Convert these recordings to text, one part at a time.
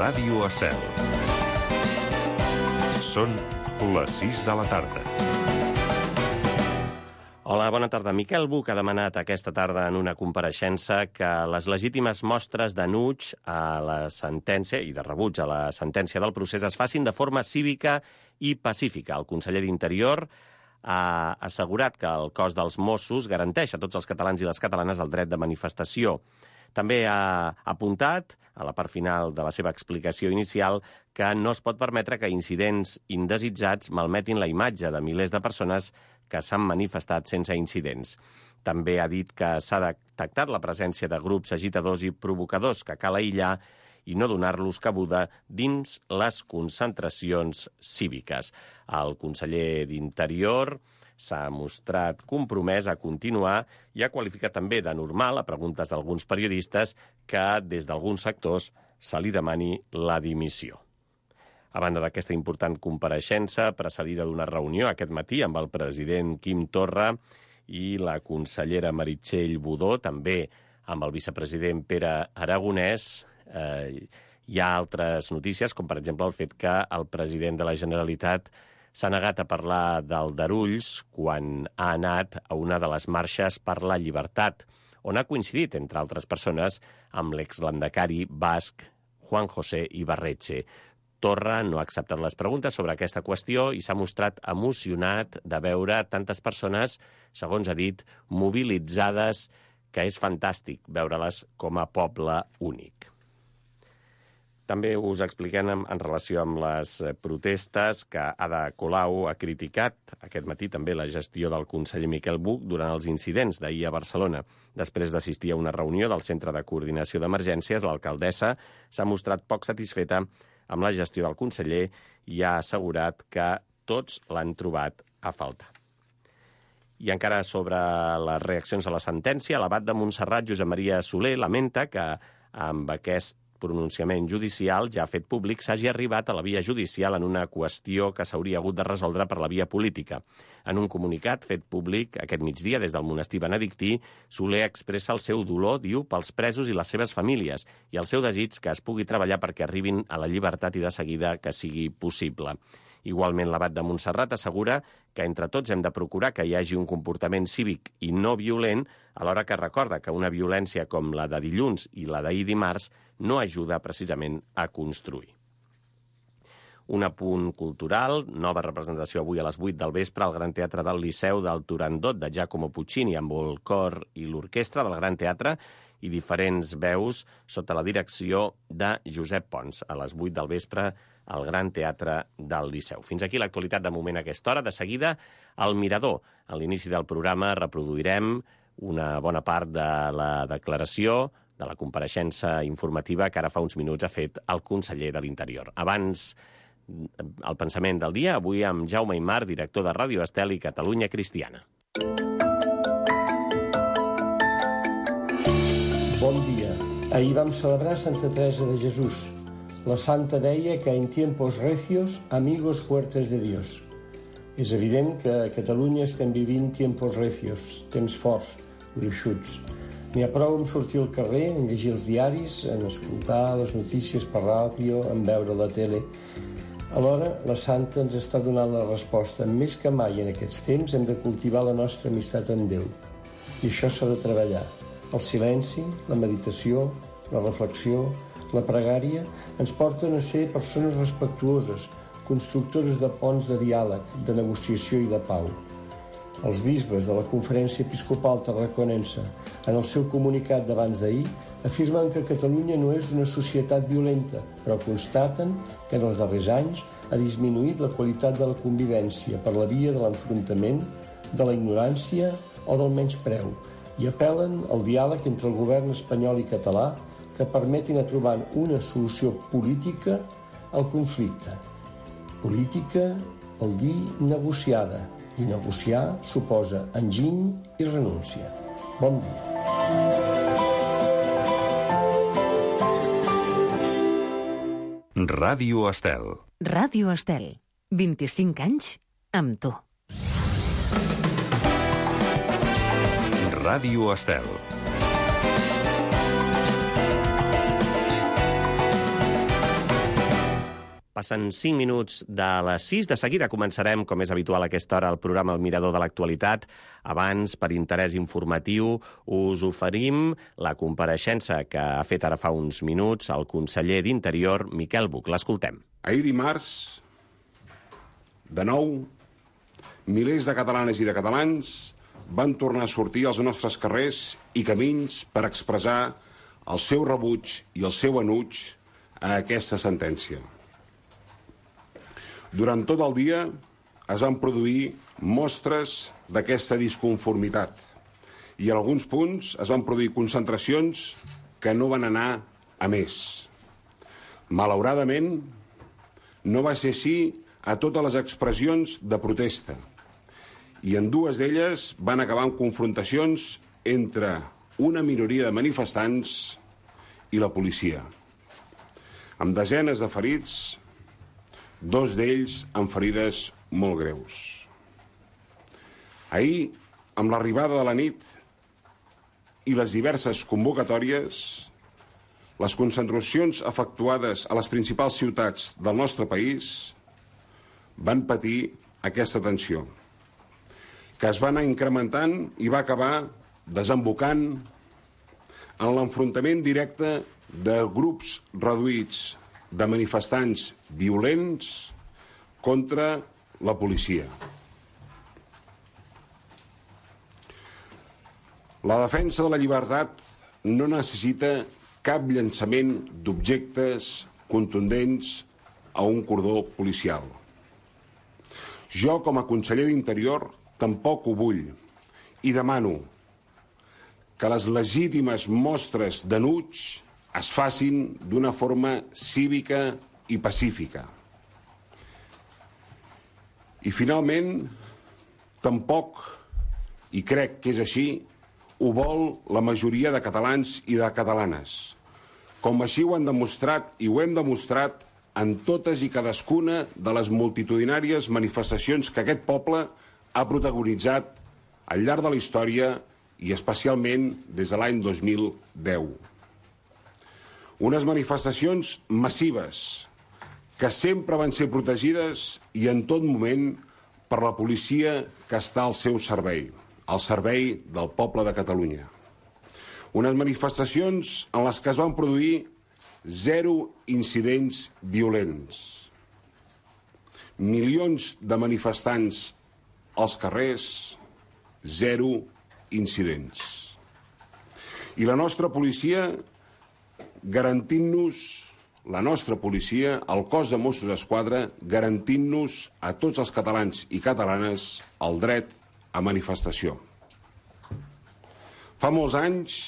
Ràdio Estel. Són les 6 de la tarda. Hola, bona tarda. Miquel Buch ha demanat aquesta tarda en una compareixença que les legítimes mostres d'enuig a la sentència i de rebuig a la sentència del procés es facin de forma cívica i pacífica. El conseller d'Interior ha assegurat que el cos dels Mossos garanteix a tots els catalans i les catalanes el dret de manifestació. També ha apuntat, a la part final de la seva explicació inicial, que no es pot permetre que incidents indesitjats malmetin la imatge de milers de persones que s'han manifestat sense incidents. També ha dit que s'ha detectat la presència de grups agitadors i provocadors que cal aïllar i no donar-los cabuda dins les concentracions cíviques. El conseller d'Interior s'ha mostrat compromès a continuar i ha qualificat també de normal, a preguntes d'alguns periodistes, que des d'alguns sectors se li demani la dimissió. A banda d'aquesta important compareixença, precedida d'una reunió aquest matí amb el president Quim Torra i la consellera Meritxell Budó, també amb el vicepresident Pere Aragonès, hi ha altres notícies, com per exemple el fet que el president de la Generalitat s'ha negat a parlar d'Aldarulls quan ha anat a una de les marxes per la llibertat, on ha coincidit, entre altres persones, amb l'exlandacari basc Juan José Ibarretxe. Torra no ha acceptat les preguntes sobre aquesta qüestió i s'ha mostrat emocionat de veure tantes persones, segons ha dit, mobilitzades, que és fantàstic veure-les com a poble únic. També us expliquem en relació amb les protestes que Ada Colau ha criticat aquest matí també la gestió del conseller Miquel Buch durant els incidents d'ahir a Barcelona. Després d'assistir a una reunió del Centre de Coordinació d'Emergències, l'alcaldessa s'ha mostrat poc satisfeta amb la gestió del conseller i ha assegurat que tots l'han trobat a faltar. I encara sobre les reaccions a la sentència, l'abat de Montserrat, Josep Maria Soler, lamenta que amb aquest pronunciament judicial ja fet públic s'hagi arribat a la via judicial en una qüestió que s'hauria hagut de resoldre per la via política. En un comunicat fet públic aquest migdia des del monestir benedictí, Soler expressa el seu dolor, diu, pels presos i les seves famílies i el seu desig que es pugui treballar perquè arribin a la llibertat i de seguida que sigui possible. Igualment, l'abat de Montserrat assegura que entre tots hem de procurar que hi hagi un comportament cívic i no violent, alhora que recorda que una violència com la de dilluns i la d'ahir dimarts no ajuda precisament a construir. Un apunt cultural, nova representació avui a les 8 del vespre al Gran Teatre del Liceu del Turandot de Giacomo Puccini amb el cor i l'orquestra del Gran Teatre i diferents veus sota la direcció de Josep Pons a les 8 del vespre al Gran Teatre del Liceu. Fins aquí l'actualitat de moment a aquesta hora. De seguida, al Mirador. A l'inici del programa reproduirem una bona part de la declaració de la compareixença informativa que ara fa uns minuts ha fet el conseller de l'Interior. Abans, el pensament del dia, avui amb Jaume Aymar, director de Ràdio Estel i Catalunya Cristiana. Bon dia. Ahir vam celebrar Santa Teresa de Jesús. La santa deia que en tiempos recios, amigos fuertes de Dios. És evident que a Catalunya estem vivint tiempos recios, temps forts, gruixuts. N'hi ha prou en sortir al carrer, en llegir els diaris, en escoltar les notícies per ràdio, en veure la tele. Alhora, la santa ens està donant la resposta. Més que mai en aquests temps hem de cultivar la nostra amistat amb Déu. I això s'ha de treballar. El silenci, la meditació, la reflexió, la pregària ens porten a ser persones respectuoses, constructores de ponts de diàleg, de negociació i de pau. Els bisbes de la Conferència Episcopal Tarraconense, en el seu comunicat d'abans d'ahir, afirmen que Catalunya no és una societat violenta, però constaten que en els darrers anys ha disminuït la qualitat de la convivència per la via de l'enfrontament, de la ignorància o del menyspreu, i apel·len al diàleg entre el govern espanyol i català que permetin a trobar una solució política al conflicte. Política vol dir negociada, i negociar suposa enginy i renúncia. Bon dia. Ràdio Estel. Ràdio Estel. 25 anys amb tu. Ràdio Estel. Passen 5 minuts de les 6. De seguida començarem, com és habitual a aquesta hora, el programa El Mirador de l'Actualitat. Abans, per interès informatiu, us oferim la compareixença que ha fet ara fa uns minuts el conseller d'Interior, Miquel Buch. L'escoltem. Ahir dimarts, de nou, milers de catalanes i de catalans van tornar a sortir als nostres carrers i camins per expressar el seu rebuig i el seu enuig a aquesta sentència. Durant tot el dia es van produir mostres d'aquesta disconformitat i en alguns punts es van produir concentracions que no van anar a més. Malauradament, no va ser així a totes les expressions de protesta i en dues d'elles van acabar amb confrontacions entre una minoria de manifestants i la policia, amb desenes de ferits, dos d'ells amb ferides molt greus. Ahir, amb l'arribada de la nit i les diverses convocatòries, les concentracions efectuades a les principals ciutats del nostre país van patir aquesta tensió, que es va anar incrementant i va acabar desembocant en l'enfrontament directe de grups reduïts de manifestants violents contra la policia. La defensa de la llibertat no necessita cap llançament d'objectes contundents a un cordó policial. Jo, com a conseller d'Interior, tampoc ho vull i demano que les legítimes mostres d'enuig es facin d'una forma cívica i pacífica. I finalment, tampoc, i crec que és així, ho vol la majoria de catalans i de catalanes, com així ho han demostrat i ho hem demostrat en totes i cadascuna de les multitudinàries manifestacions que aquest poble ha protagonitzat al llarg de la història i especialment des de l'any 2010. Unes manifestacions massives que sempre van ser protegides i en tot moment per la policia que està al seu servei, al servei del poble de Catalunya. Unes manifestacions en les que es van produir 0 incidents violents. Milions de manifestants als carrers, 0 incidents. I la nostra policia garantint-nos, la nostra policia, el cos de Mossos d'Esquadra, garantint-nos a tots els catalans i catalanes el dret a manifestació. Fa molts anys,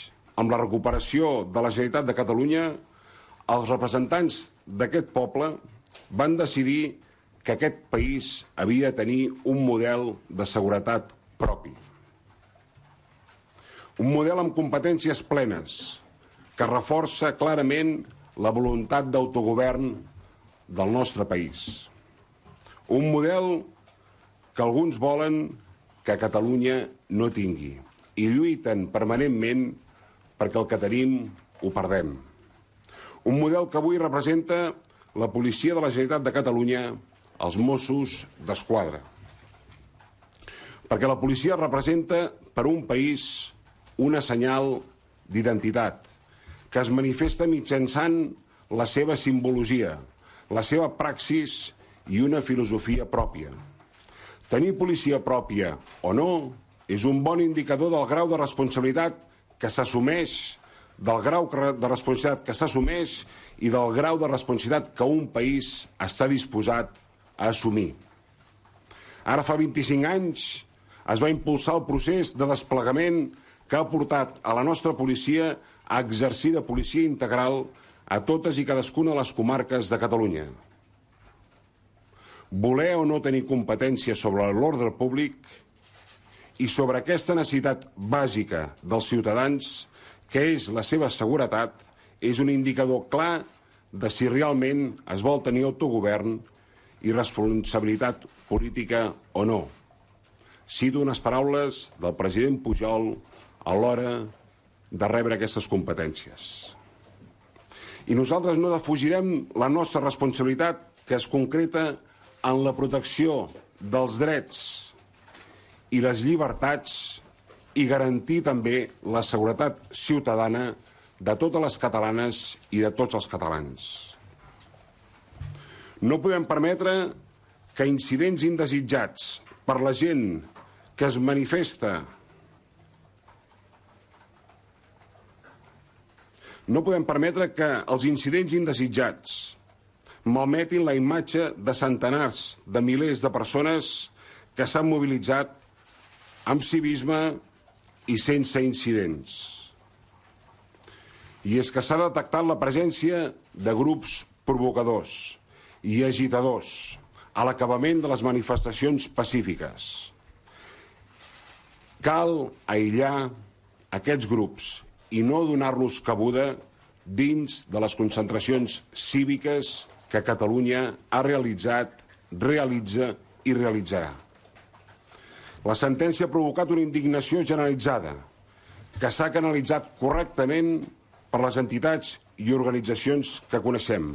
amb la recuperació de la Generalitat de Catalunya, els representants d'aquest poble van decidir que aquest país havia de tenir un model de seguretat propi. Un model amb competències plenes, que reforça clarament la voluntat d'autogovern del nostre país. Un model que alguns volen que Catalunya no tingui i lluiten permanentment perquè el que tenim ho perdem. Un model que avui representa la policia de la Generalitat de Catalunya, els Mossos d'Esquadra. Perquè la policia representa per un país una senyal d'identitat, que es manifesta mitjançant la seva simbologia, la seva praxis i una filosofia pròpia. Tenir policia pròpia o no és un bon indicador del grau de responsabilitat que s'assumeix, del grau de responsabilitat que s'assumeix i del grau de responsabilitat que un país està disposat a assumir. Ara fa 25 anys es va impulsar el procés de desplegament que ha portat a la nostra policia a exercir de policia integral a totes i cadascuna de les comarques de Catalunya. Voler o no tenir competència sobre l'ordre públic i sobre aquesta necessitat bàsica dels ciutadans, que és la seva seguretat, és un indicador clar de si realment es vol tenir autogovern i responsabilitat política o no. Cito unes paraules del president Pujol a l'hora de rebre aquestes competències. I nosaltres no defugirem la nostra responsabilitat que es concreta en la protecció dels drets i les llibertats i garantir també la seguretat ciutadana de totes les catalanes i de tots els catalans. No podem permetre que incidents indesitjats per la gent que es manifesta que els incidents indesitjats malmetin la imatge de centenars de milers de persones que s'han mobilitzat amb civisme i sense incidents. I és que s'ha detectat la presència de grups provocadors i agitadors a l'acabament de les manifestacions pacífiques. Cal aïllar aquests grups i no donar-los cabuda dins de les concentracions cíviques que Catalunya ha realitzat, realitza i realitzarà. La sentència ha provocat una indignació generalitzada que s'ha canalitzat correctament per les entitats i organitzacions que coneixem.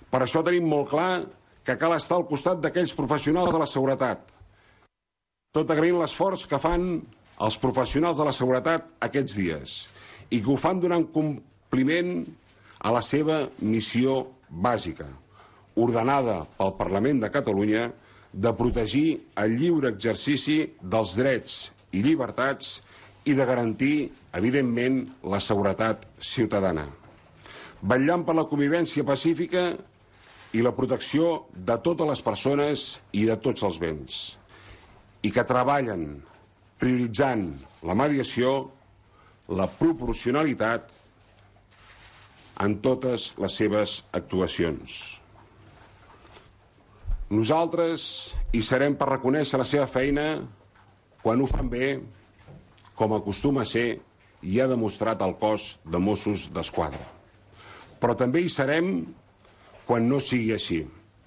Per això tenim molt clar que cal estar al costat d'aquells professionals de la seguretat, tot agraint l'esforç que fan els professionals de la seguretat aquests dies i que ho fan donant compliment a la seva missió bàsica, ordenada pel Parlament de Catalunya, de protegir el lliure exercici dels drets i llibertats i de garantir, evidentment, la seguretat ciutadana, vetllant per la convivència pacífica i la protecció de totes les persones i de tots els béns, i que treballen prioritzant la mediació, la proporcionalitat en totes les seves actuacions. Nosaltres hi serem per reconèixer la seva feina quan ho fan bé, com acostuma a ser i ha demostrat el cos de Mossos d'Esquadra. Però també hi serem quan no sigui així,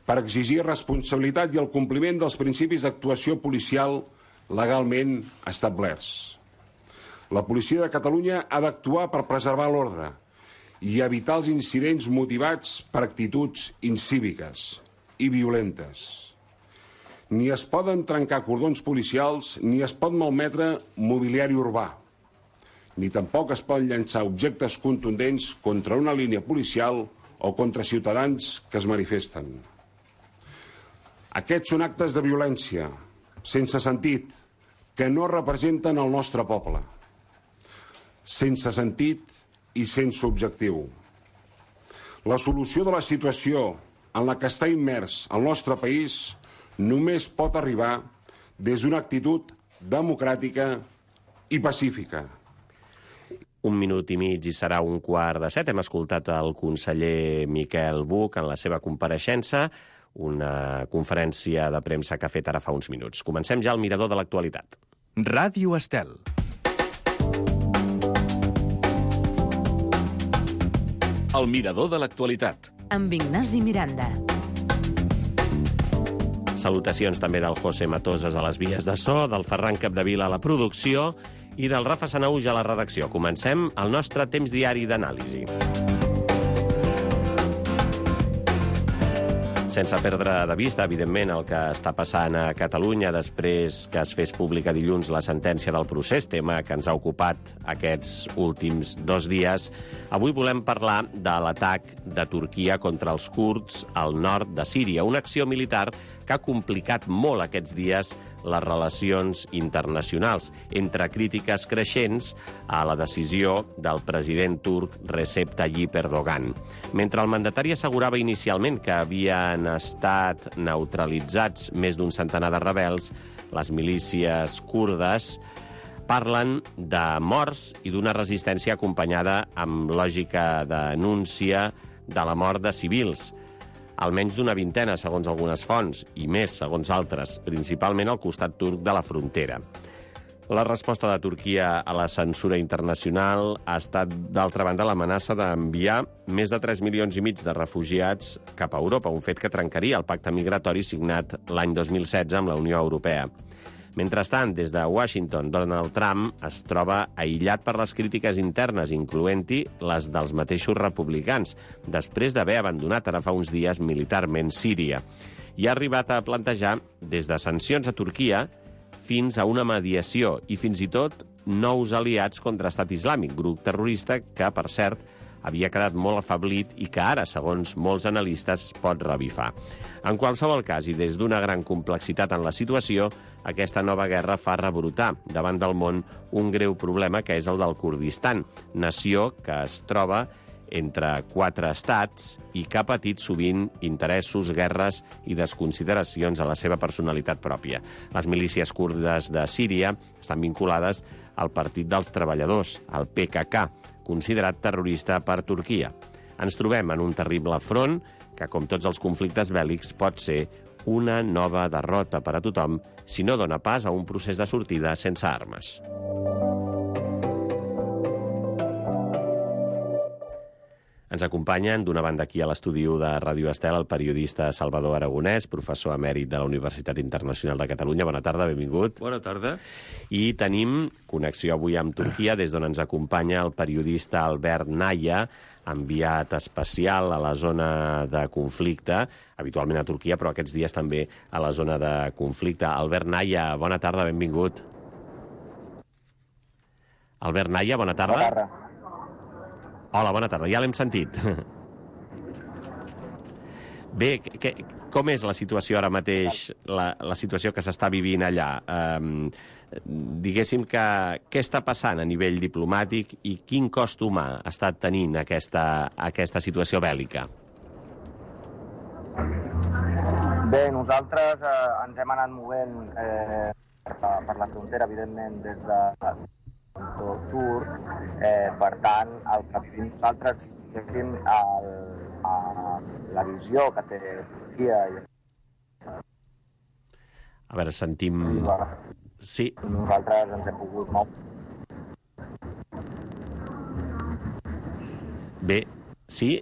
per exigir responsabilitat i el compliment dels principis d'actuació policial legalment establerts. La policia de Catalunya ha d'actuar per preservar l'ordre i evitar els incidents motivats per actituds incíviques i violentes. Ni es poden trencar cordons policials ni es pot malmetre mobiliari urbà, ni tampoc es poden llançar objectes contundents contra una línia policial o contra ciutadans que es manifesten. Aquests són actes de violència, sense sentit, que no representen el nostre poble, sense sentit i sense objectiu. La solució de la situació en la que està immers el nostre país només pot arribar des d'una actitud democràtica i pacífica. 1 minut i mig i serà 6:15. Hem escoltat el conseller Miquel Buch en la seva compareixença, una conferència de premsa que ha fet ara fa uns minuts. Comencem ja al mirador de l'actualitat. Ràdio Estel. El mirador de l'actualitat. Amb Ignasi Miranda. Salutacions també del José Matoses a les vies de so, del Ferran Capdevila a la producció i del Rafa Sanauj a la redacció. Comencem el nostre temps diari d'anàlisi. Sense perdre de vista, evidentment, el que està passant a Catalunya després que es fes pública dilluns la sentència del procés, tema que ens ha ocupat aquests últims 2 dies, avui volem parlar de l'atac de Turquia contra els kurds al nord de Síria, una acció militar que ha complicat molt aquests dies les relacions internacionals, entre crítiques creixents a la decisió del president turc Recep Tayyip Erdogan. Mentre el mandatari assegurava inicialment que havien estat neutralitzats més d'un centenar de rebels, les milícies kurdes parlen de morts i d'una resistència acompanyada amb lògica denúncia de la mort de civils, almenys d'una vintena, segons algunes fonts, i més, segons altres, principalment al costat turc de la frontera. La resposta de Turquia a la censura internacional ha estat, d'altra banda, l'amenaça d'enviar més de 3,5 milions de refugiats cap a Europa, un fet que trencaria el pacte migratori signat l'any 2016 amb la Unió Europea. Mentrestant, des de Washington, Donald Trump es troba aïllat per les crítiques internes, incloent-hi les dels mateixos republicans, després d'haver abandonat ara fa uns dies militarment Síria. I ha arribat a plantejar des de sancions a Turquia fins a una mediació i fins i tot nous aliats contra Estat Islàmic, grup terrorista que, per cert, havia quedat molt afeblit i que ara, segons molts analistes, pot revifar. En qualsevol cas, i des d'una gran complexitat en la situació, aquesta nova guerra fa rebrotar davant del món un greu problema que és el del Kurdistan, nació que es troba entre 4 estats i que ha patit sovint interessos, guerres i desconsideracions a la seva personalitat pròpia. Les milícies kurdes de Síria estan vinculades al Partit dels Treballadors, el PKK, considerat terrorista per Turquia. Ens trobem en un terrible front que, com tots els conflictes bèl·lics, pot ser una nova derrota per a tothom si no dona pas a un procés de sortida sense armes. Ens acompanyen, d'una banda aquí a l'estudi de Ràdio Estel, el periodista Salvador Aragonès, professor emèrit de la Universitat Internacional de Catalunya. Bona tarda, benvingut. Bona tarda. I tenim connexió avui amb Turquia, des d'on ens acompanya el periodista Albert Naya, enviat especial a la zona de conflicte, habitualment a Turquia, però aquests dies també a la zona de conflicte. Albert Naya, bona tarda, benvingut. Albert Naya, bona tarda. Bona tarda. Hola, bona tarda. Ja l'hem sentit. Bé, com és la situació ara mateix, la situació que s'està vivint allà? Diguéssim que què està passant a nivell diplomàtic i quin cost humà ha estat tenint aquesta situació bèl·lica? Bé, nosaltres ens hem anat movent per la frontera, evidentment, des de turc, per tant, el que vivim nosaltres, diguéssim, la visió que té Turquia. A veure, sentim... Sí. Nosaltres ens hem pogut moure. Bé, sí,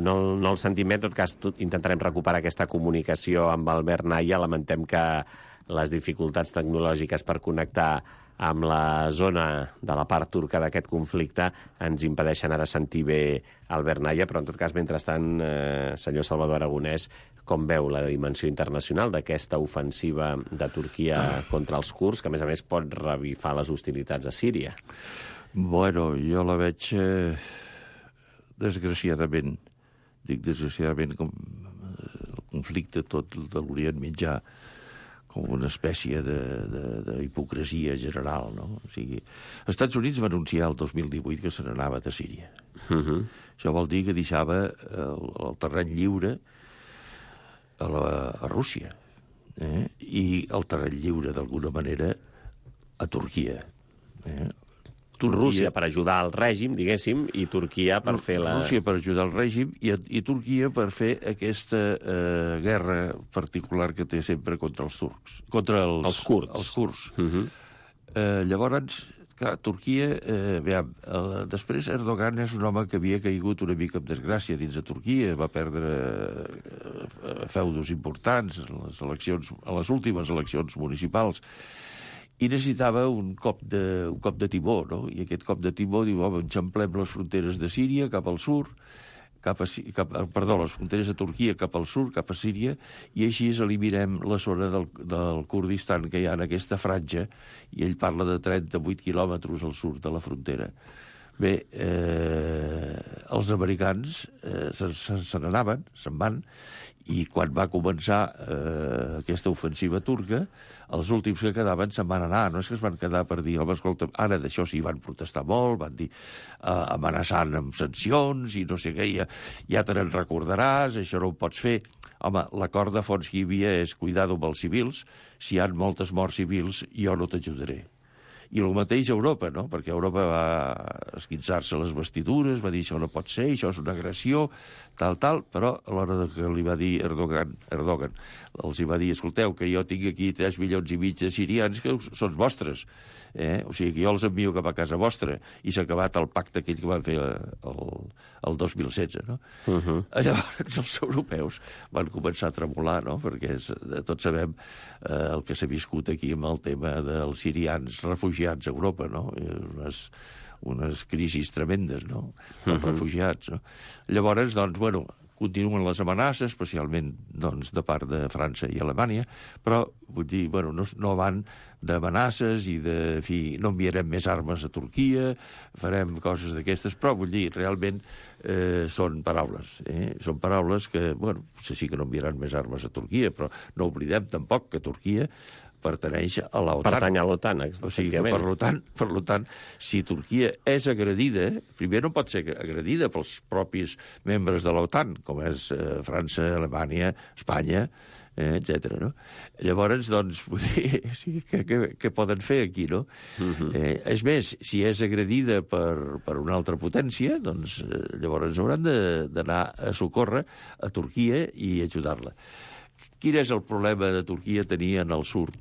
no el sentim bé. En tot cas, intentarem recuperar aquesta comunicació amb Albert Naya. Lamentem que les dificultats tecnològiques per connectar amb la zona de la part turca d'aquest conflicte ens impedeixen ara sentir bé Albert Naya, però en tot cas, mentrestant, senyor Salvador Aragonès, com veu la dimensió internacional d'aquesta ofensiva de Turquia contra els kurds, que a més pot revifar les hostilitats a Síria? Bueno, jo la veig desgraciadament, com el conflicte tot de l'Orient Mitjà, com una espècie d'hipocresia general, no? O sigui, els Estats Units va anunciar el 2018 que se n'anava de Síria. Això vol dir que deixava el terreny lliure a Rússia, i el terreny lliure, d'alguna manera, a Turquia. Rússia per ajudar el règim, diguéssim, i Turquia per fer la... Rússia per ajudar el règim i Turquia per fer aquesta guerra particular que té sempre contra els turcs. Contra els kurds. Els kurds. Llavors, clar, Turquia... després Erdogan és un home que havia caigut una mica en desgràcia dins de Turquia, va perdre feudos importants en les últimes eleccions municipals, i necessitava un cop de timó, no? I aquest cop de timó diu, home, enxamplem les fronteres de Síria cap al sud, les fronteres de Turquia cap al sud, cap a Síria, i així eliminem la zona del Kurdistan que hi ha en aquesta franja, i ell parla de 38 quilòmetres al sud de la frontera. Bé, els americans se n'anaven, se'n van, i quan va començar aquesta ofensiva turca, els últims que quedaven se'n van anar. No és que es van quedar per dir, home, escolta, ara d'això sí van protestar molt, van dir amenaçant amb sancions i no sé què, ja te n'en recordaràs, això no ho pots fer. Home, l'acord de fons que hi havia és cuidado amb els civils, si hi ha moltes morts civils jo no t'ajudaré. I el mateix a Europa, no? Perquè Europa va esquinçar-se les vestidures, va dir això no pot ser, això és una agressió, tal, però a l'hora que li va dir Erdogan, els hi va dir, escolteu, que jo tinc aquí 3,5 milions de sirians que són vostres, o sigui que jo els envio cap a casa vostra, i s'ha acabat el pacte aquell que van fer el 2016, no? Llavors els europeus van començar a tremolar, no? Perquè tots sabem el que s'ha viscut aquí amb el tema dels sirians refugiats a Europa, no? Unes crisis tremendes, no? Els refugiats, no? Llavors, doncs, bueno, continuen les amenaces, especialment doncs, de part de França i Alemanya, però vull dir, bueno, no van d'amenaces i de, en fi, no enviarem més armes a Turquia, farem coses d'aquestes, però vull dir, realment són paraules. Són paraules que, bueno, potser sí que no enviaran més armes a Turquia, però no oblidem tampoc que Turquia pertaneix a l'OTAN. Pertany a l'OTAN, o sigui que, per tant, si Turquia és agredida, primer no pot ser agredida pels propis membres de l'OTAN, com és França, Alemanya, Espanya, etc. No? Llavors, doncs, vull dir, sí, què poden fer aquí, no? És més, si és agredida per una altra potència, doncs llavors hauran d'anar a socórrer a Turquia i ajudar-la. Quin és el problema de Turquia tenir en el sud?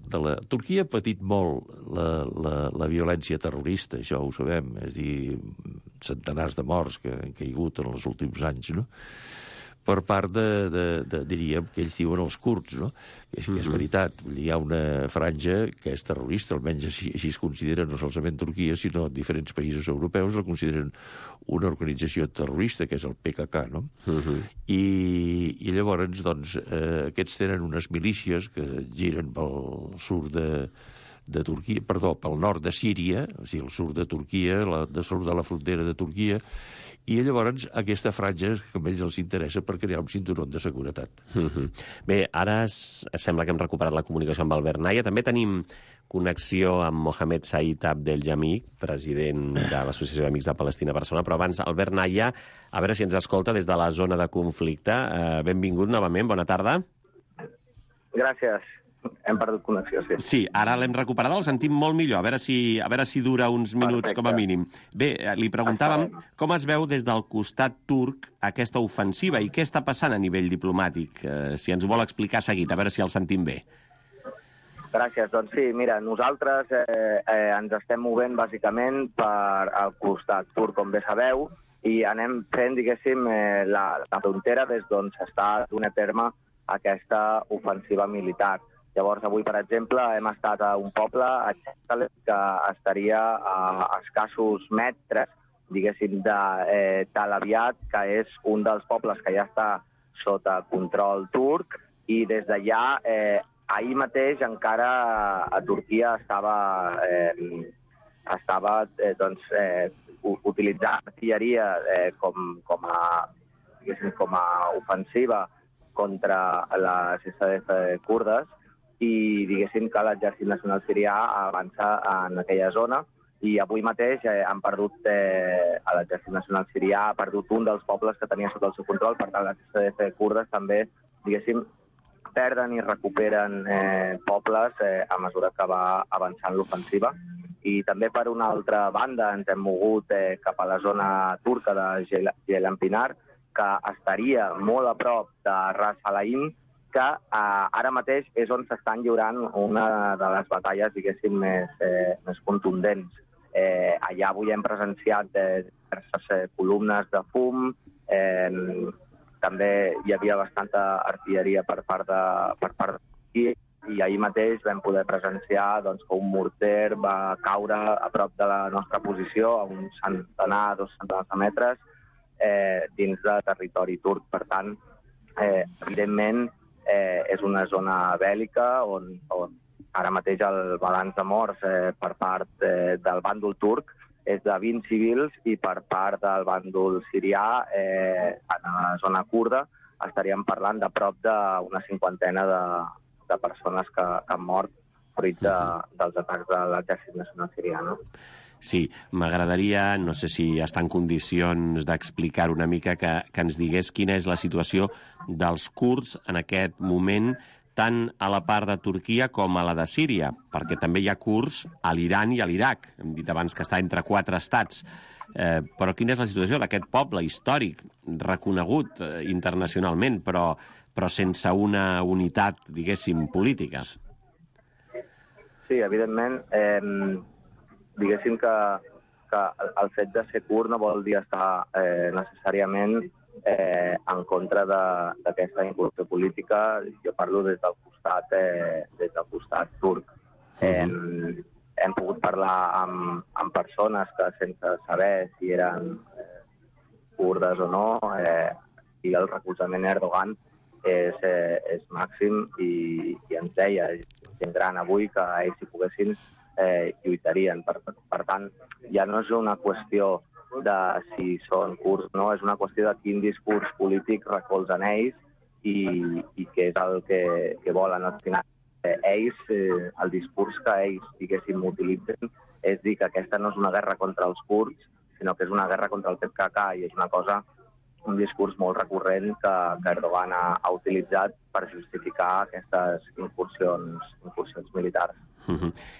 Turquia ha patit molt la violència terrorista, això ho sabem, és a dir, centenars de morts que han caigut en els últims anys, no? Per part diríem, que ells diuen els kurds, no? És que és veritat, hi ha una franja que és terrorista, almenys així es considera no solament Turquia, sinó diferents països europeus la consideren una organització terrorista, que és el PKK, no? I llavors, doncs, aquests tenen unes milícies que giren pel sud de Turquia, perdó, pel nord de Síria, o sigui, el sud de Turquia, el sud de la frontera de Turquia, i llavors aquesta franja que a ells els interessa per crear un cinturó de seguretat. Bé, ara sembla que hem recuperat la comunicació amb Albert Naya. També tenim connexió amb Mohamed Said Abdeljamik, president de l'Associació d'Amics de Palestina a Barcelona. Però abans, Albert Naya, a veure si ens escolta des de la zona de conflicte. Benvingut novament, bona tarda. Gràcies. Hem perdut connexió, sí. Sí, ara l'hem recuperada, el sentim molt millor. A veure si dura uns minuts. Perfecte. Com a mínim. Bé, li preguntàvem com es veu des del costat turc aquesta ofensiva i què està passant a nivell diplomàtic. Si ens ho vol explicar seguit, a veure si el sentim bé. Gràcies. Doncs sí, mira, nosaltres ens estem movent bàsicament per al costat turc, com bé sabeu, i anem fent, diguéssim, la frontera des d'on s'està donant a terme aquesta ofensiva militar. Llavors, avui, per exemple, hem estat a un poble, a Txakalep, que estaria a escassos metres, diguéssim, de Tal Aviat, que és un dels pobles que ja està sota control turc, i des d'allà, ahir mateix, encara a Turquia estava utilitzant artilleria com a ofensiva contra les SDF kurdes, i diguéssim que l'exèrcit nacional sirià avança en aquella zona, i avui mateix han perdut, l'exèrcit nacional sirià ha perdut un dels pobles que tenia sota el seu control. Per tant, les SDF kurdes també, diguéssim, perden i recuperen pobles a mesura que va avançant l'ofensiva. I també, per una altra banda, ens hem mogut cap a la zona turca de Ceylanpinar, que estaria molt a prop de Ras Al-Ain, que ara mateix és on s'estan lliurant una de les batalles, diguéssim, més contundents. Allà avui hem presenciat diverses columnes de fum, també hi havia bastanta artilleria per part d'aquí, i ahir mateix vam poder presenciar que un morter va caure a prop de la nostra posició, a un centenar, 2 centenars de metres, dins de territori turc. Per tant, evidentment, és una zona bèl·lica on ara mateix el balanç de morts per part del bàndol turc és de 20 civils, i per part del bàndol sirià, en la zona kurda, estaríem parlant de prop d'una cinquantena de persones que han mort fruit dels atacs de l'exèrcit nacional sirià, no? Sí, m'agradaria, no sé si està en condicions d'explicar una mica, que ens digués quina és la situació dels kurds en aquest moment, tant a la part de Turquia com a la de Síria, perquè també hi ha kurds a l'Iran i a l'Iraq. Hem dit abans que està entre 4 estats. Però quina és la situació d'aquest poble històric, reconegut internacionalment, però sense una unitat, diguéssim, política? Sí, evidentment, diguéssim que el fet de ser kurd no vol dir estar necessàriament en contra d'aquesta incursió política. Jo parlo des del costat turc. Hem pogut parlar amb persones que sense saber si eren kurdes o no, i el recolzament a Erdogan és màxim, i ens deia gent gran avui que ells, si poguessin, lluitarien. Per tant, ja no és una qüestió de si són kurds o no, és una qüestió de quin discurs polític recolzen ells i què és el que volen. Al final, ells, el discurs que ells, diguéssim, utilitzen és dir que aquesta no és una guerra contra els kurds, sinó que és una guerra contra el PKK, i és un discurs molt recurrent que Erdogan ha utilitzat per justificar aquestes incursions militars.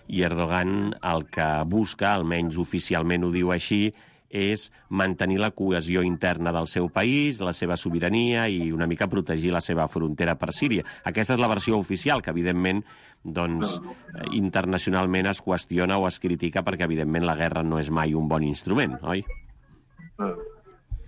I Erdogan el que busca, almenys oficialment ho diu així, és mantenir la cohesió interna del seu país, la seva sobirania i una mica protegir la seva frontera per Síria. Aquesta és la versió oficial, que evidentment internacionalment es qüestiona o es critica perquè evidentment la guerra no és mai un bon instrument, oi?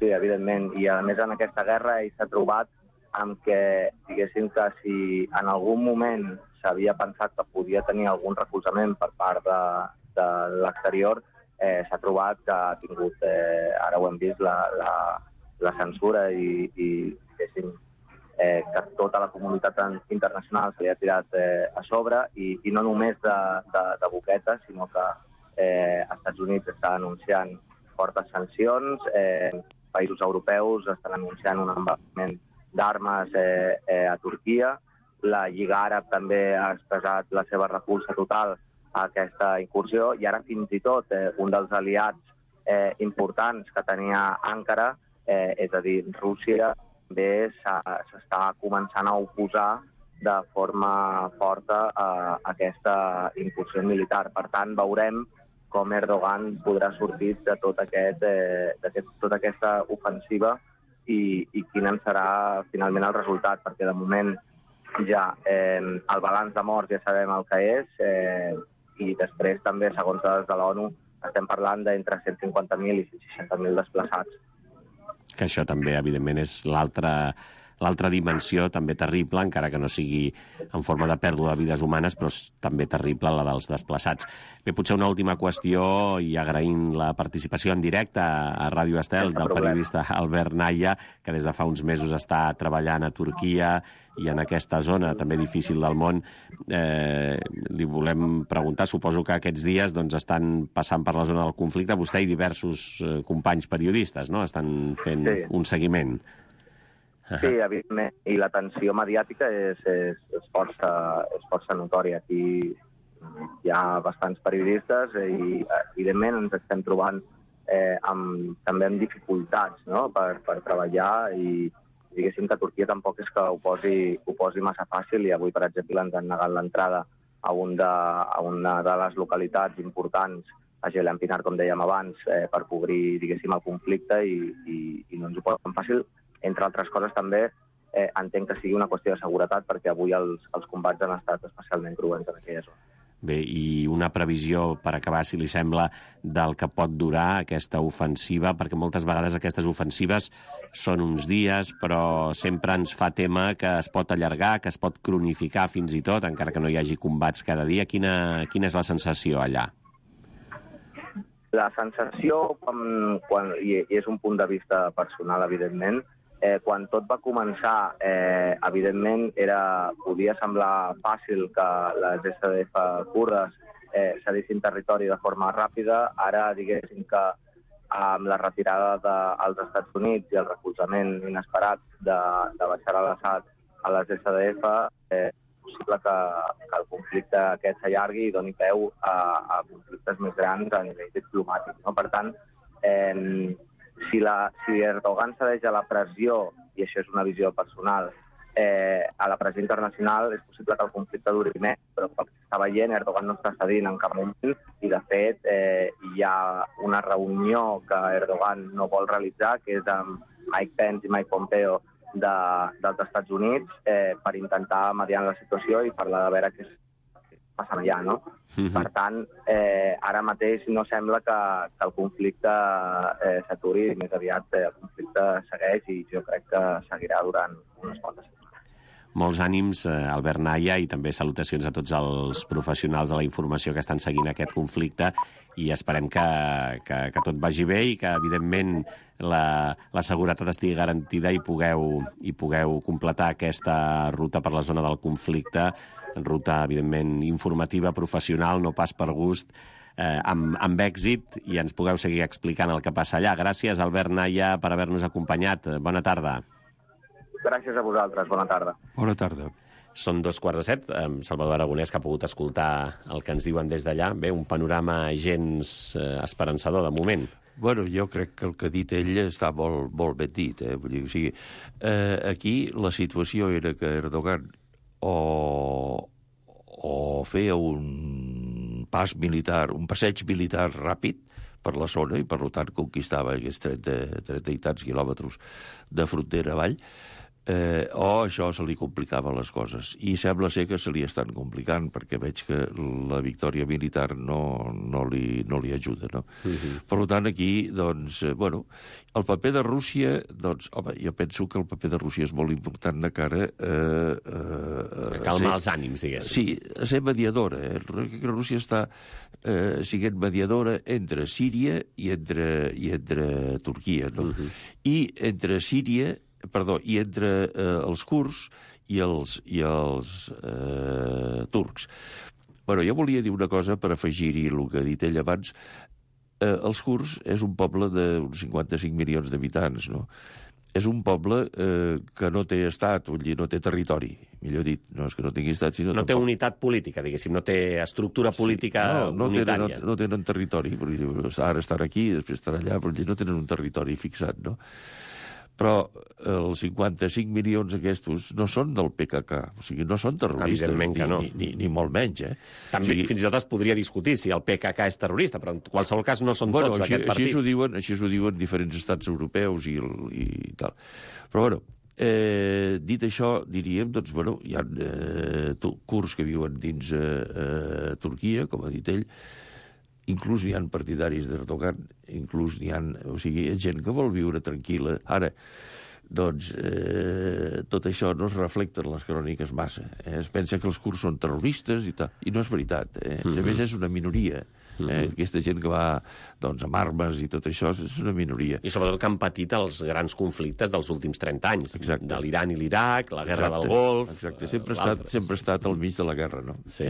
Sí, evidentment. I a més en aquesta guerra ell s'ha trobat amb que, diguéssim, que si en algun moment s'havia pensat que podia tenir algun recolzament per part de l'exterior, s'ha trobat que ha tingut, ara ho hem vist, la censura i diguéssim, que tota la comunitat internacional se li ha tirat a sobre, i no només de boquetes, sinó que Estats Units està anunciant fortes sancions, països europeus estan anunciant un embargament d'armes a Turquia, la Lliga Àrab també ha expressat la seva repulsa total a aquesta incursió, i ara fins i tot un dels aliats importants que tenia Ankara, és a dir, Rússia, també s'està començant a oposar de forma forta a aquesta incursió militar. Per tant, veurem com Erdogan podrà sortir de tota aquesta ofensiva i quin en serà finalment el resultat, perquè de moment ja el balanç de morts ja sabem el que és, i després també, segons dades de l'ONU, estem parlant d'entre 150.000 i 160.000 desplaçats. Que això també, evidentment, és l'altra dimensió, també terrible, encara que no sigui en forma de pèrdua de vides humanes, però és també terrible la dels desplaçats. Bé, potser una última qüestió, i agraint la participació en directe a Ràdio Estel del periodista Albert Naya, que des de fa uns mesos està treballant a Turquia i en aquesta zona també difícil del món. Li volem preguntar, suposo que aquests dies estan passant per la zona del conflicte, vostè i diversos companys periodistes, no? Estan fent un seguiment. Sí, evidentment, i la tensió mediàtica és força notòria. Aquí hi ha bastants periodistes i, evidentment, ens estem trobant també amb dificultats, no?, per treballar, i diguéssim que Turquia tampoc és que ho posi massa fàcil, i avui, per exemple, ens han negat l'entrada a una de les localitats importants, a Jelenpinar, com dèiem abans, per cobrir, diguéssim, el conflicte, i no ens ho posen fàcil. Entre altres coses, també entenc que sigui una qüestió de seguretat, perquè avui els combats han estat especialment cruents en aquella zona. Bé, i una previsió, per acabar, si li sembla, del que pot durar aquesta ofensiva, perquè moltes vegades aquestes ofensives són uns dies, però sempre ens fa tema que es pot allargar, que es pot cronificar fins i tot, encara que no hi hagi combats cada dia. Quina és la sensació allà? La sensació, i és un punt de vista personal, evidentment, quan tot va començar, evidentment, podia semblar fàcil que les SDF kurdes cedissin territori de forma ràpida. Ara, diguéssim que amb la retirada dels Estats Units i el recolzament inesperat de Bashar al-Assad a les SDF, és possible que el conflicte aquest s'allargui i doni peu a conflictes més grans a nivell diplomàtic, no? Per tant, si Erdogan cedeix a la pressió, i això és una visió personal, a la pressió internacional és possible que el conflicte duri més, però pel que s'està veient, Erdogan no està cedint en cap moment i, de fet, hi ha una reunió que Erdogan no vol realitzar, que és amb Mike Pence i Mike Pompeo dels Estats Units per intentar mediar la situació i parlar de veure què passa allà, no? Per tant, ara mateix no sembla que el conflicte s'aturi, més aviat el conflicte segueix i jo crec que seguirà durant unes quantes setmanes. Molts ànims, Albert Naya, i també salutacions a tots els professionals de la informació que estan seguint aquest conflicte i esperem que tot vagi bé i que, evidentment, la seguretat estigui garantida i pugueu completar aquesta ruta per la zona del conflicte, ruta, evidentment, informativa, professional, no pas per gust, amb èxit, i ens pugueu seguir explicant el que passa allà. Gràcies, Albert Naya, per haver-nos acompanyat. Bona tarda. Gràcies a vosaltres. Bona tarda. Bona tarda. Són 2:45. Salvador Aragonès, que ha pogut escoltar el que ens diuen des d'allà. Bé, un panorama gens esperançador, de moment. Bueno, jo crec que el que ha dit ell està molt ben dit. Vull dir, o sigui, aquí la situació era que Erdogan o feia un passeig militar ràpid per la zona i, per tant, conquistava aquests 30 i tants quilòmetres de frontera avall, o això se li complicava les coses. I sembla ser que se li estan complicant, perquè veig que la victòria militar no li ajuda, no? Per tant, aquí, doncs, bueno, el paper de Rússia, doncs, home, jo penso que el paper de Rússia és molt important de cara a calmar els ànims, diguéssim. Sí, a ser mediadora. Rússia està sent mediadora entre Síria i entre Turquia, no? I entre Síria i entre els kurds i els turcs. Bueno, jo volia dir una cosa per afegir-hi el que ha dit ell abans. Els kurds és un poble d'uns 55 milions d'habitants, no? És un poble que no té estat, vull dir, no té territori, millor dit. No és que no tingui estat, sinó... No té unitat política, diguéssim, no té estructura política unitària. No tenen territori, ara estan aquí, després estan allà, però no tenen un territori fixat, no? Però els 55 milions aquests no són del PKK, o sigui, no són terroristes. Evidentment que no. Ni molt menys, També, o sigui, fins i tot es podria discutir si el PKK és terrorista, però en qualsevol cas no són tots d'aquest partit. Així ho diuen diferents estats europeus i tal. Però, bueno, dit això, diríem, doncs, bueno, hi ha kurds que viuen dins Turquia, com ha dit ell, inclús n'hi ha partidaris d'Erdogan, inclús n'hi ha... O sigui, gent que vol viure tranquil·la. Ara, doncs, tot això no es reflecta en les cròniques massa. Es pensa que els kurds són terroristes i tal, i no és veritat. A més, és una minoria. Aquesta gent que va doncs, amb armes i tot això és una minoria. I sobretot que han patit els grans conflictes dels últims 30 anys. Exacte. De l'Iran i l'Iraq, la guerra del Golf... Exacte, sempre ha estat al mig de la guerra, no? Sí.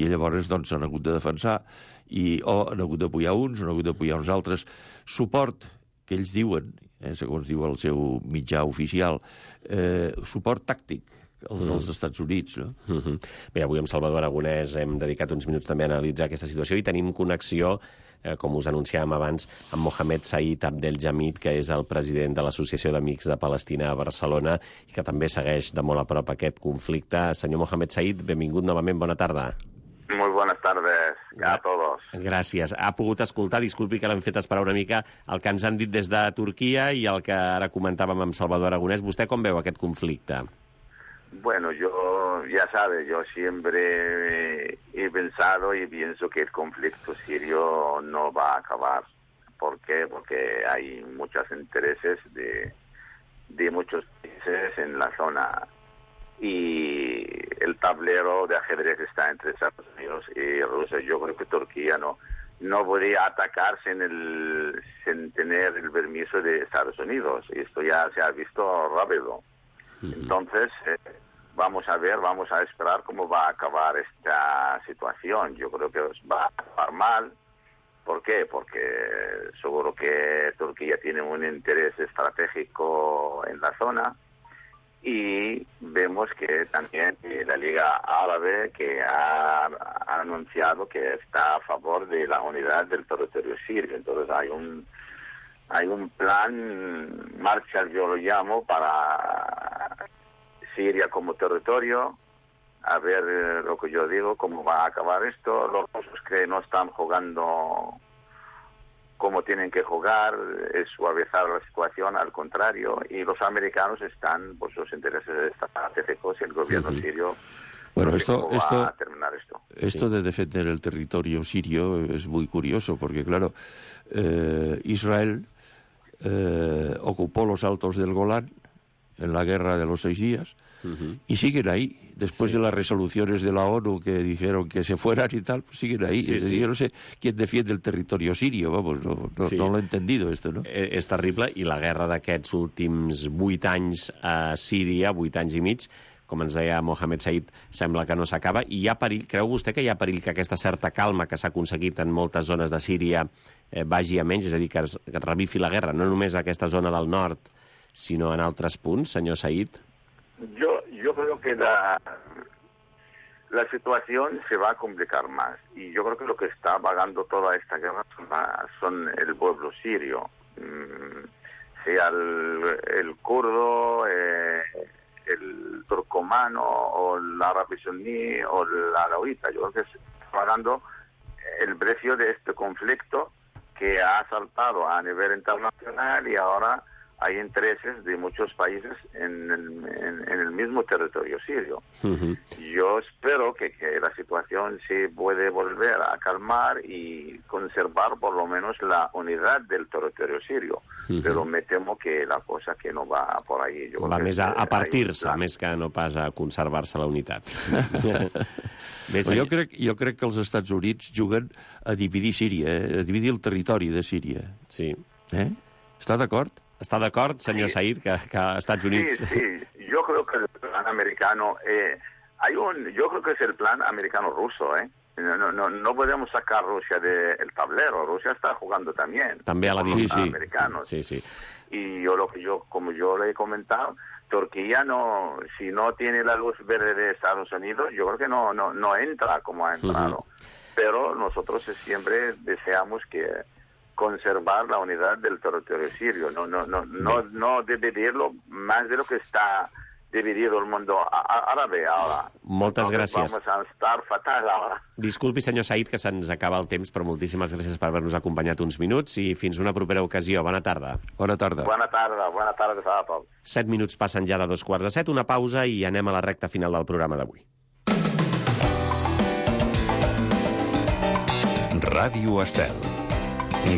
I llavors doncs, s'han hagut de defensar o han hagut d'apoyar uns, o han hagut d'apoyar uns altres. Suport, que ells diuen, segons diu el seu mitjà oficial, suport tàctic, els dels Estats Units, no? Bé, avui amb Salvador Aragonès hem dedicat uns minuts també a analitzar aquesta situació i tenim connexió, com us anunciàvem abans, amb Mohamed Said Abdelhamid, que és el president de l'Associació d'Amics de Palestina a Barcelona i que també segueix de molt a prop aquest conflicte. Senyor Mohamed Said, benvingut novament, bona tarda. Muy buenas tardes a todos. Gràcies. Ha pogut escoltar, disculpi que l'hem fet esperar una mica, el que ens han dit des de Turquia i el que ara comentàvem amb Salvador Aragonès. ¿Vostè com veu aquest conflicte? Bueno, yo, ya sabe, yo siempre he pensado y pienso que el conflicto sirio no va a acabar. ¿Por qué? Porque hay muchos intereses de muchos países en la zona y el tablero de ajedrez está entre Estados Unidos y Rusia. Yo creo que Turquía no podría atacar sin tener el permiso de Estados Unidos. Y esto ya se ha visto rápido. Entonces, vamos a ver, vamos a esperar cómo va a acabar esta situación. Yo creo que va a acabar mal. ¿Por qué? Porque seguro que Turquía tiene un interés estratégico en la zona. Y vemos que también la Liga Árabe que ha anunciado que está a favor de la unidad del territorio sirio. Entonces hay un plan Marshall, yo lo llamo, para Siria como territorio, a ver lo que yo digo, cómo va a acabar esto. Los rusos que no están jugando como tienen que jugar, es suavizar la situación, al contrario, y los americanos están, pues los intereses estratégicos y el gobierno sirio. Bueno, esto va a terminar esto. Esto de defender el territorio sirio es muy curioso, porque claro, Israel ocupó los altos del Golán en la guerra de los 6 días, y siguen ahí. Después de las resoluciones de la ONU que dijeron que se fueran y tal, pues siguen ahí. Yo no sé quién defiende el territorio sirio, vamos, no lo he entendido esto, no? És terrible, i la guerra d'aquests últims 8 anys a Síria, 8 anys i mig, com ens deia Mohamed Said, sembla que no s'acaba, i hi ha perill, creu vostè que hi ha perill que aquesta certa calma que s'ha aconseguit en moltes zones de Síria vagi a menys, és a dir, que es revifi la guerra, no només a aquesta zona del nord, sinó en altres punts, senyor Said? Yo creo que la situación se va a complicar más, y yo creo que lo que está pagando toda esta guerra son el pueblo sirio, sea el kurdo, el turcomano, o el árabe suní, o el alauita. Yo creo que está pagando el precio de este conflicto que ha saltado a nivel internacional, y ahora hay intereses de muchos países en el mismo territorio sirio. Yo espero que la situación se puede volver a calmar y conservar por lo menos la unidad del territorio sirio, però me temo que la cosa que no va por ahí. Va més a partir-se, més que no pas a conservar-se la unitat. Jo crec que els Estats Units juguen a dividir Síria, a dividir el territori de Síria. Sí. Està d'acord? ¿Está de acuerdo, señor Said, que Estados Unidos? Sí, yo creo que el plan americano, yo creo que es el plan americano-ruso, No podemos sacar Rusia del tablero. Rusia está jugando también. También a la división. Americanos. Sí. Y como yo le he comentado, Turquía si no tiene la luz verde de Estados Unidos, yo creo que no entra como ha entrado. Pero nosotros siempre deseamos que conservar la unidad del territorio sirio, no dividirlo más de lo que está dividido el mundo árabe ahora. Moltes gràcies. Vamos a estar fatal ahora. Disculpi, senyor Said, que se'ns acaba el temps, però moltíssimes gràcies per haver-nos acompanyat uns minuts i fins una propera ocasió. Bona tarda. Bona tarda. Bona tarda a tots. 7 minuts passen ja de 7:15, una pausa i anem a la recta final del programa d'avui. Ràdio Estel.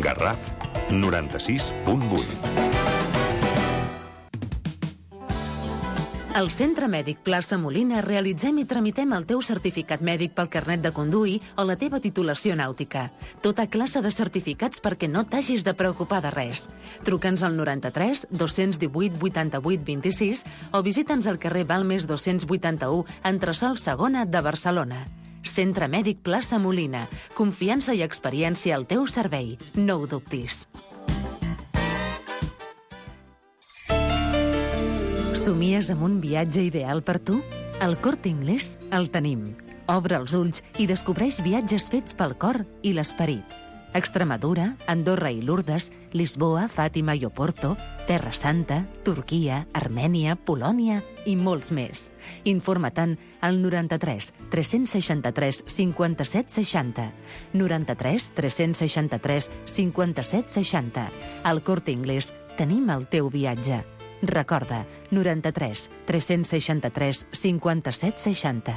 Garraf 96.8. Al Centre Mèdic Plaça Molina realitzem i tramitem el teu certificat mèdic pel carnet de conduir o la teva titulació nàutica. Tota classe de certificats perquè no t'hagis de preocupar de res. Truca'ns al 93 218 88 26 o visita'ns al carrer Balmes 281, entresòl segona de Barcelona. Centre Mèdic Plaça Molina. Confiança i experiència al teu servei. No ho dubtis. Somies amb un viatge ideal per tu? Al Corte Inglés el tenim. Obre els ulls i descobreix viatges fets pel cor i l'esperit. Extremadura, Andorra i Lourdes, Lisboa, Fàtima i Oporto, Terra Santa, Turquia, Armènia, Polònia i molts més. Informa-te'n al 93 363 57 60. 93 363 57 60. Al Corte Inglés tenim el teu viatge. Recorda, 93 363 57 60.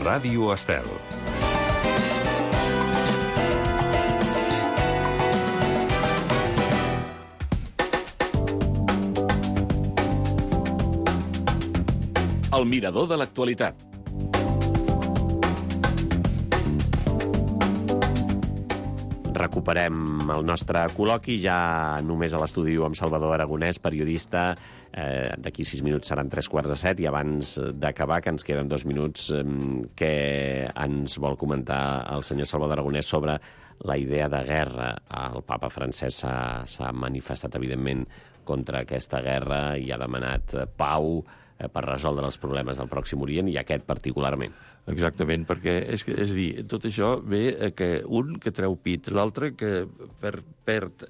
Ràdio Estel. El mirador de l'actualitat. Recuperem el nostre col·loqui, ja només a l'estudi amb Salvador Aragonès, periodista. D'aquí 6 minuts seran 7:15, i abans d'acabar, que ens queden 2 minuts, què ens vol comentar el senyor Salvador Aragonès sobre la idea de guerra. El papa francès s'ha manifestat, evidentment, contra aquesta guerra i ha demanat pau per resoldre els problemes del Pròxim Orient, i aquest particularment. Exactament, perquè és a dir, tot això ve que un que treu pit, l'altre que perd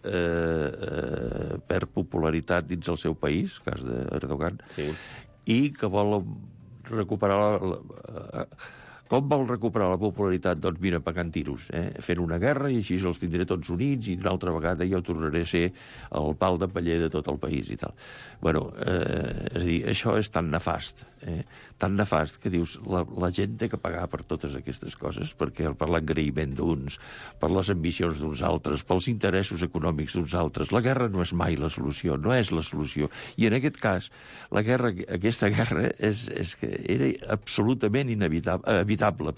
popularitat dins el seu país, cas d'Erdogan, sí, i que vol recuperar com vol recuperar la popularitat? Doncs mira, pagant tiros, fent una guerra, i així els tindré tots units, i una altra vegada jo tornaré a ser el pal de paller de tot el país i tal. Bueno, és a dir, això és tan nefast, tan nefast que dius, la gent té que pagar per totes aquestes coses, perquè per l'agraïment d'uns, per les ambicions d'uns altres, pels interessos econòmics d'uns altres. La guerra no és mai la solució, no és la solució. I en aquest cas, aquesta guerra era absolutament evitable,